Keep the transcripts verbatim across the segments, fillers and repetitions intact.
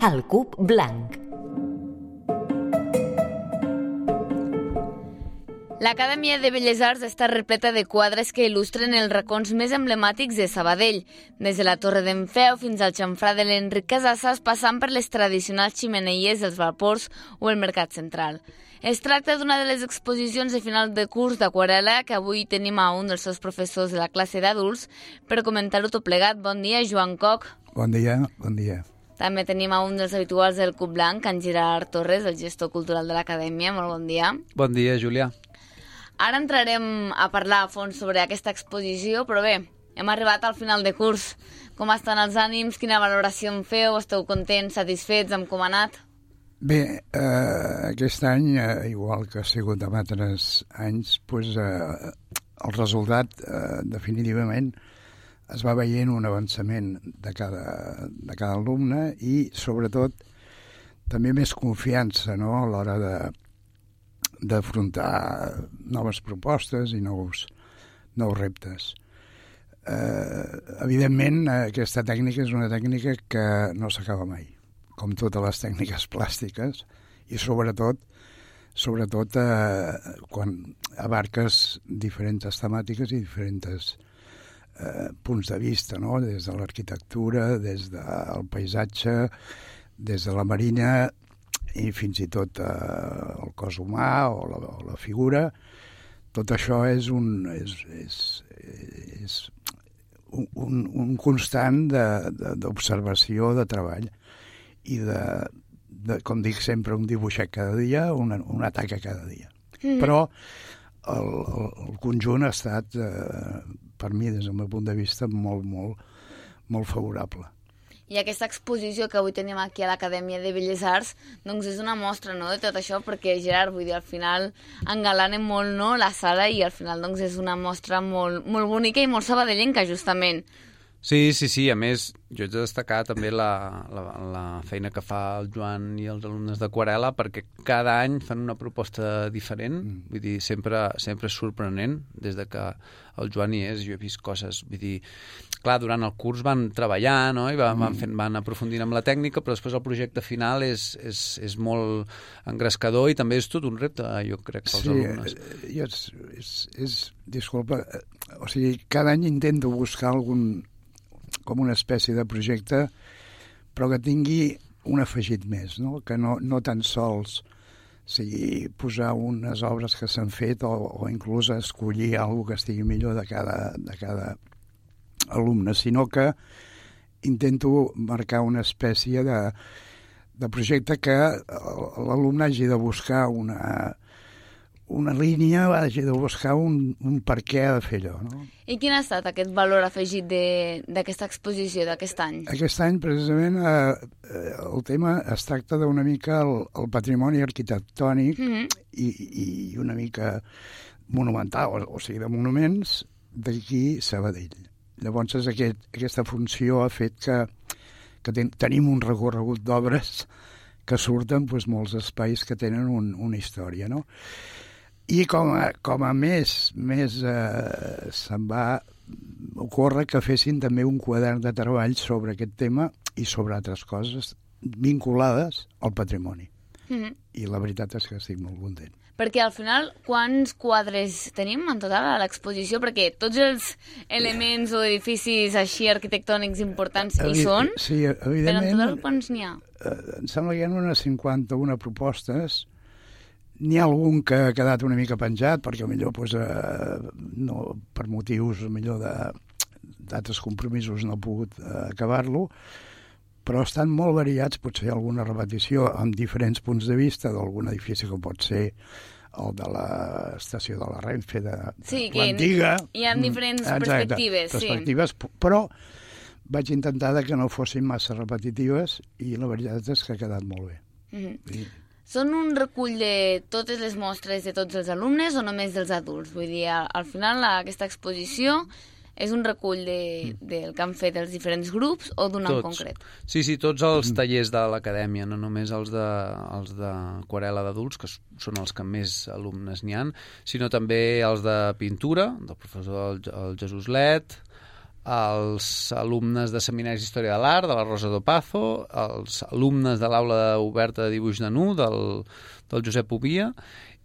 El cub blanc. L'Acadèmia de Belles Arts està repleta de quadres que il·lustren els racons més emblemàtics de Sabadell, des de la Torre d'en Feu fins al xamfrà de l'Enric Casassas, passant per les tradicionals ximeneies dels vapors o el Mercat Central. Es tracta d'una de les exposicions de final de curs d'aquarel·la que avui tenim a un dels seus professors de la classe d'adults per comentar-ho tot plegat. Bon dia, Joan Coc. Bon dia, bon dia. També tenim a un dels habituals del Cub Blanc, en Gerard Torres, el gestor cultural de l'Acadèmia. Molt bon dia. Bon dia, Júlia. Ara entrarem a parlar a fons sobre aquesta exposició, però bé, hem arribat al final de curs. Com estan els ànims? Quina valoració en feu? Esteu contents, satisfets amb com ha anat? Bé, eh, aquest any, eh, igual que ha sigut en altres anys, pues, eh, el resultat eh, definitivament es va veient un avançament de cada, de cada alumne i, sobretot, també més confiança, no?, a l'hora de d'afrontar noves propostes i nous, nous reptes. Eh, evidentment, aquesta tècnica és una tècnica que no s'acaba mai, com totes les tècniques plàstiques, i sobretot, sobretot eh, quan abarques diferents temàtiques i diferents eh, punts de vista, no?, des de l'arquitectura, des del paisatge, des de la marina, i fins i tot eh, el cos humà o la, o la figura. Tot això és un, és, és, és un, un constant d'observació, de, de, de treball i de, de, com dic sempre, un dibuixet cada dia, una, una taca cada dia. Mm. Però el, el, el conjunt ha estat, eh, per mi, des del meu punt de vista, molt, molt, molt favorable. I aquesta exposició que avui tenim aquí a l'Acadèmia de Belles Arts, doncs és una mostra, no?, de tot això, perquè, Gerard, vull dir, al final engalanen molt, no?, la sala i al final doncs és una mostra molt, molt bonica i molt sabadellenca, justament. Sí, sí, sí. A més, jo he de destacar també la, la, la feina que fa el Joan i els alumnes d'aquarel·la, perquè cada any fan una proposta diferent, mm. vull dir, sempre, sempre és sorprenent, des de que el Joan hi és, jo he vist coses, vull dir, clar, durant el curs van treballar, no?, i van, mm. van, fent, van aprofundint amb la tècnica, però després el projecte final és, és, és molt engrescador i també és tot un repte, jo crec, pels sí, alumnes. Sí, és, és, és, disculpa, o sigui, cada any intento buscar algun com una espècie de projecte, però que tingui un afegit més, no? Que no, no tan sols sigui posar unes obres que s'han fet o, o inclús escollir alguna que estigui millor de cada, de cada alumne, sinó que intento marcar una espècie de, de projecte que l'alumne hagi de buscar una, una línia, hagi de buscar un, un per què ha de fer allò, no? I quin ha estat aquest valor afegit d'aquesta exposició d'aquest any? Aquest any, precisament, eh, el tema es tracta d'una mica el, el patrimoni arquitectònic mm-hmm. i, i una mica monumental, o, o sigui, de monuments d'aquí Sabadell. Llavors, aquest, aquesta funció ha fet que, que ten, tenim un recorregut d'obres que surten doncs, molts espais que tenen un, una història, no? I com a, com a més, més eh, se'n va ocórrer que fessin també un quadern de treball sobre aquest tema i sobre altres coses vinculades al patrimoni. Mm-hmm. I la veritat és que estic molt content. Perquè al final, quants quadres tenim en total a l'exposició? Perquè tots els elements o edificis així arquitectònics importants hi Evi són, sí, evidentment, però en total quants n'hi ha? Eh, em sembla que hi ha unes cinquanta-una propostes. N'hi ha algun que ha quedat una mica penjat, perquè millor pues, eh, no, per motius millor d'altres compromisos no he pogut eh, acabar-lo, però estan molt variats, potser alguna repetició amb diferents punts de vista d'algun edifici que pot ser el de l'estació de la Renfe, de, de sí, l'antiga. Hi ha diferents Exacte, perspectives. perspectives sí. Però vaig intentar que no fossin massa repetitives i la veritat és que ha quedat molt bé. Mm-hmm. I... Són un recull de totes les mostres de tots els alumnes o només dels adults? Vull dir, al final aquesta exposició és un recull de, del que han fet els diferents grups o d'un en concret? Sí, sí, tots els tallers de l'acadèmia, no només els de, els d'aquarel·la d'adults, que són els que més alumnes n'hi han, sinó també els de pintura, del professor el, el Jesús Let, els alumnes de Seminaris d'Història de l'Art, de la Rosa d'Opazo, els alumnes de l'aula oberta de dibuix de nu, del, del Josep Ovia,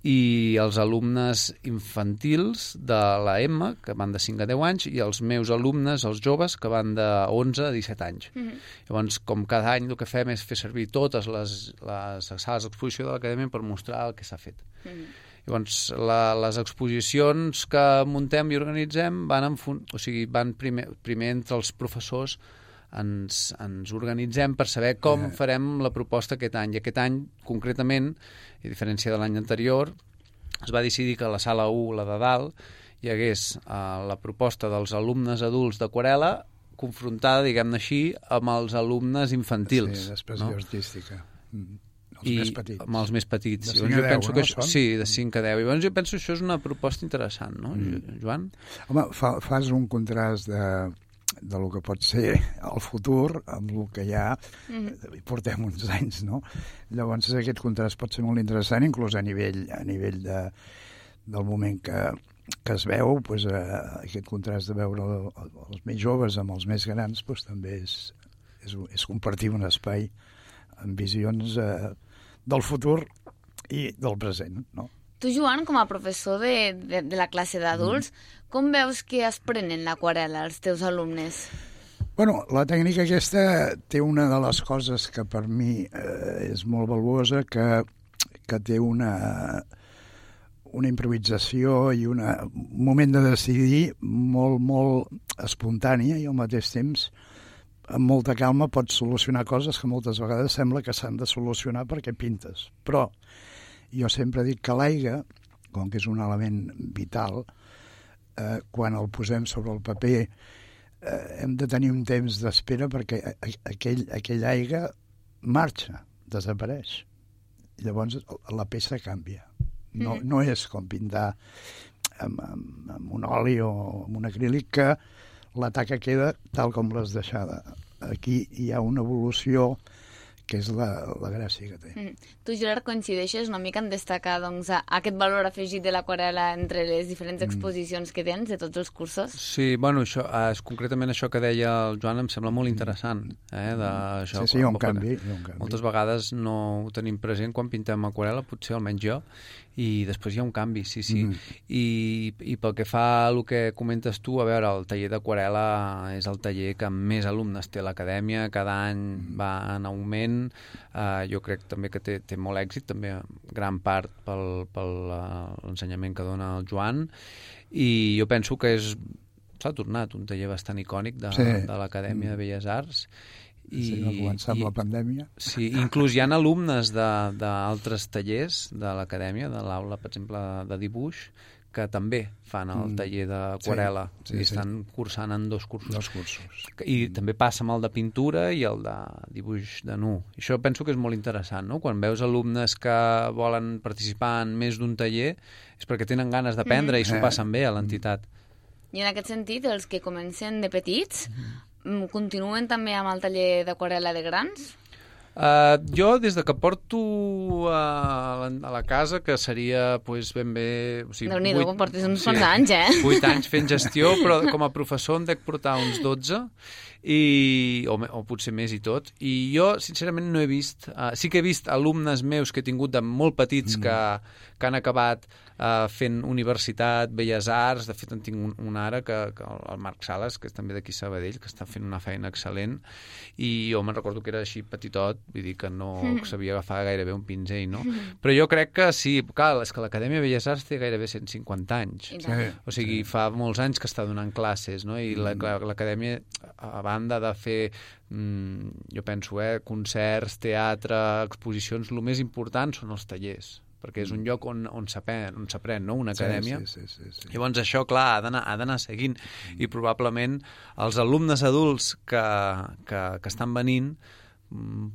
i els alumnes infantils de la M, que van de cinc a deu anys, i els meus alumnes, els joves, que van de onze a disset anys. Mm-hmm. Llavors, com cada any el que fem és fer servir totes les, les sales d'exposició de l'Acadèmia per mostrar el que s'ha fet. Mm-hmm. Llavors, la, les exposicions que muntem i organitzem van, en fun... o sigui, van primer, primer entre els professors ens, ens organitzem per saber com farem la proposta aquest any. I aquest any, concretament, a diferència de l'any anterior, es va decidir que a la sala u, la de dalt, hi hagués eh, la proposta dels alumnes adults d'aquarel·la confrontada, diguem-ne així, amb els alumnes infantils. Sí, d'expressió no? artística. Mm. Els I més petits. amb els més petits. De cinc a deu, no? Això, sí, de cinc a deu. I llavors jo penso que això és una proposta interessant, no, mm. Joan? Home, fa, fas un contrast de, de lo que pot ser el futur amb el que ja mm. portem uns anys, no? Llavors aquest contrast pot ser molt interessant, inclús a nivell, a nivell de, del moment que, que es veu, pues, eh, aquest contrast de veure els més joves amb els més grans pues, també és, és, és compartir un espai amb visions eh, del futur i del present, no? Tu, Joan, com a professor de, de, de la classe d'adults, mm. com veus que es prenen l'aquarel·la els teus alumnes? Bueno, la tècnica aquesta té una de les coses que per mi eh, és molt valuosa, que, que té una, una improvisació i una, un moment de decidir molt, molt espontània i al mateix temps amb molta calma pots solucionar coses que moltes vegades sembla que s'han de solucionar perquè pintes. Però jo sempre dic que l'aigua, com que és un element vital, eh, quan el posem sobre el paper eh, hem de tenir un temps d'espera perquè aquell, aquell aigua marxa, desapareix. Llavors la peça canvia. No, no és com pintar amb, amb, amb un oli o amb un acrílic que la taca queda tal com l'has deixada. Aquí hi ha una evolució que és la, la gràcia que té. Mm. Tu, Gerard, coincideixes una mica en destacar doncs, aquest valor afegit de l'aquarel·la entre les diferents exposicions que tens de tots els cursos? Sí, bueno, això, és, concretament això que deia el Joan em sembla molt interessant. Eh, de, això, sí, sí, hi ha un canvi, hi ha un canvi. Moltes vegades no ho tenim present quan pintem aquarel·la, potser almenys jo, i després hi ha un canvi, sí, sí. Mm. I, I pel que fa al que comentes tu, a veure, el taller d'aquarel·la és el taller que més alumnes té a l'acadèmia, cada any va en augment. Uh, jo crec també que té, té molt èxit, també gran part pel, pel uh, l'ensenyament que dona el Joan, i jo penso que és s'ha tornat un taller bastant icònic de, sí. de l'Acadèmia de Belles Arts. I, sí, va començar amb i, la pandèmia. Sí, inclús hi ha alumnes d'altres tallers de l'acadèmia, de l'aula, per exemple, de dibuix, que també fan el taller d'aquarel·la. Sí, sí, i estan sí. cursant en dos cursos. Dos cursos. I mm. també passa amb el de pintura i el de dibuix de nu. I això penso que és molt interessant, no? Quan veus alumnes que volen participar en més d'un taller és perquè tenen ganes d'aprendre mm. i s'ho passen bé a l'entitat. I en aquest sentit, els que comencen de petits mm. continuen també amb el taller d'aquarel·la de grans? Uh, jo, des de que porto a la, a la casa, que seria pues, ben bé... O sigui, Déu-n'hi-do, portes uns quants sí, anys, eh? vuit anys fent gestió, però com a professor em dec portar uns dotze, i, o, o potser més i tot. I jo, sincerament, no he vist... Uh, sí que he vist alumnes meus que he tingut de molt petits mm. que, que han acabat uh, fent universitat, belles arts. De fet, en tinc un, un ara, que, que el Marc Sales, que és també d'aquí Sabadell, que està fent una feina excel·lent, i jo me'n recordo que era així petitot, vull dir que no mm. sabia agafar gairebé un pinzell, no? Mm. Però jo crec que sí, clar, és que l'Acadèmia de Belles Arts té gairebé cent cinquanta anys. Sí. O sigui, sí. fa molts anys que està donant classes, no? I mm. l'Acadèmia, a banda de fer, mm, jo penso, eh, concerts, teatre, exposicions, el més important són els tallers, perquè és un lloc on, on s'aprèn, on s'aprèn, no? Una acadèmia. Sí, sí, sí, sí, sí. Llavors això, clar, ha d'anar, ha d'anar seguint. Mm. I probablement els alumnes adults que, que, que estan venint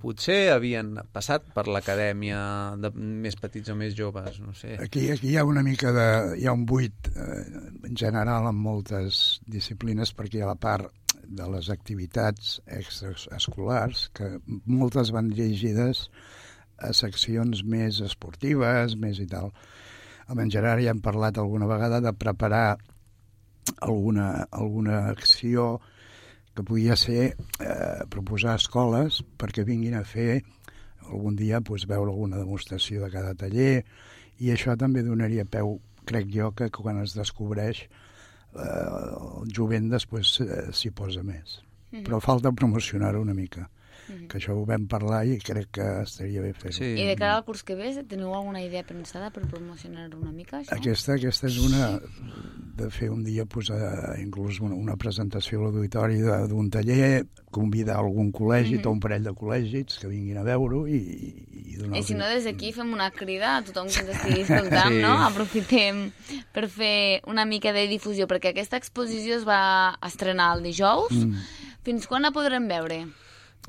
potser havien passat per l'acadèmia de més petits o més joves, no sé. Aquí, aquí hi ha una mica de... hi ha un buit eh, en general en moltes disciplines, perquè hi ha la part de les activitats extraescolars, que moltes van dirigides a seccions més esportives, més i tal. Amb en Gerard ja hem parlat alguna vegada de preparar alguna, alguna acció que podia ser eh, proposar escoles perquè vinguin a fer algun dia pues, veure alguna demostració de cada taller, i això també donaria peu, crec jo, que quan es descobreix eh, el jovent després eh, s'hi posa més. Mm-hmm. Però falta promocionar-ho una mica. Mm-hmm. Que això ho vam parlar i crec que estaria bé fer-ho. Sí. I de cara al curs que ve, teniu alguna idea pensada per promocionar-ho una mica, això? Aquesta, aquesta és una de fer un dia pues, a, inclús una, una presentació a l'auditori d'un taller, convidar algun col·legi, mm-hmm. tot un parell de col·legis que vinguin a veure-ho i, i donar... I si no, des d'aquí fem una crida a tothom que ens estigui escoltant, sí. no? Aprofitem per fer una mica de difusió, perquè aquesta exposició es va estrenar el dijous. Mm. Fins quan la podrem veure?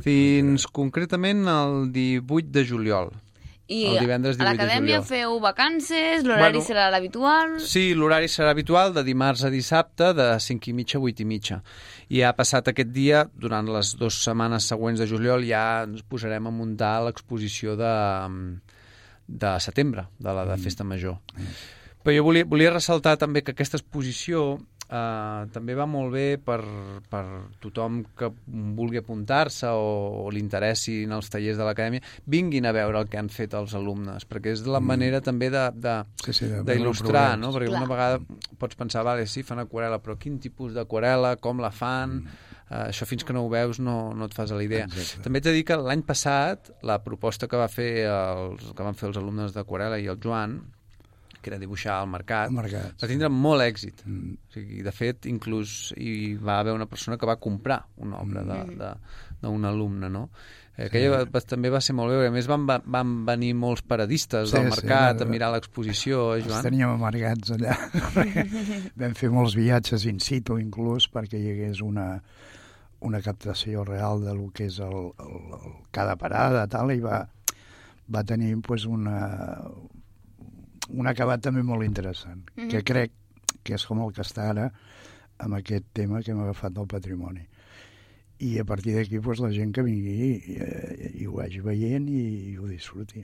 Fins concretament el divuit de juliol. I el divendres divuit a l'acadèmia feu vacances, l'horari bueno, serà l'habitual? Sí, l'horari serà habitual, de dimarts a dissabte, de cinc i mitja a vuit i mitja. I ha passat aquest dia, durant les dues setmanes següents de juliol, ja ens posarem a muntar l'exposició de, de setembre, de la de Festa Major. Mm. Però jo volia, volia ressaltar també que aquesta exposició Uh, també va molt bé per, per tothom que vulgui apuntar-se o, o li interessin els tallers de l'acadèmia, vinguin a veure el que han fet els alumnes, perquè és la manera mm. també d'il·lustrar, sí, sí, no? Perquè Clar. Una vegada pots pensar, vale, sí, fan aquarel·la, però quin tipus d'aquarel·la, com la fan... Mm. Uh, això fins que no ho veus no, no et fas a la idea. Exacte. També t'he dit que l'any passat la proposta que, va fer els, que van fer els alumnes d'aquarel·la i el Joan, que era dibuixar al mercat, mercat va tindre molt èxit. Mm. O sigui, de fet, inclús hi va haver una persona que va comprar una obra mm. d'un alumne, no? Eh, aquella sí. va, també va ser molt bé, a més van, van venir molts paradistes sí, del mercat sí, a mirar l'exposició, eh, Joan? Els teníem amargats allà. Vam fer molts viatges in situ, inclús, perquè hi hagués una, una captació real de lo que és el, el, el, cada parada, tal, i va, va tenir pues, una... un acabat també molt interessant, mm-hmm. que crec que és com el que està ara amb aquest tema que hem agafat del patrimoni. I a partir d'aquí pues, la gent que vingui i, i, i ho vagi veient i, i ho disfruti.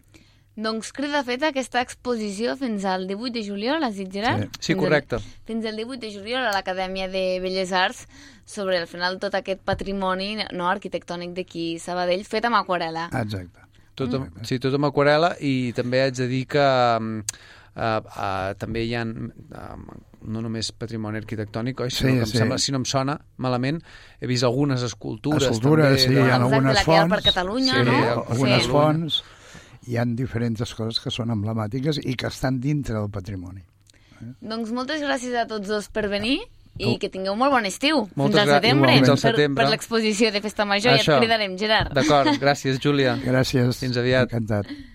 Doncs crida feta aquesta exposició fins al divuit de juliol, has dit, Gerard? Sí, sí correcte. El, fins al divuit de juliol a l'Acadèmia de Belles Arts sobre, al final, tot aquest patrimoni no, arquitectònic d'aquí Sabadell fet amb aquarel·la. Exacte. Tot amb, sí, tot amb aquarel·la, i també haig de dir que uh, uh, també hi ha uh, no només patrimoni arquitectònic, oi? Sinó sí, que em sí. sembla, si no em sona malament, he vist algunes escultures. Escultures, també, sí, de... hi ha algunes fonts. Per Catalunya, sí, no? Algunes sí. fonts, hi ha diferents coses que són emblemàtiques i que estan dintre del patrimoni. Eh? Doncs moltes gràcies a tots dos per venir. I que tingueu molt bon estiu. Moltes fins al setembre. Fins al setembre. Per, per l'exposició de Festa Major. Això. Ja et cridarem, Gerard. D'acord, gràcies, Júlia. Gràcies. Fins aviat. Encantat.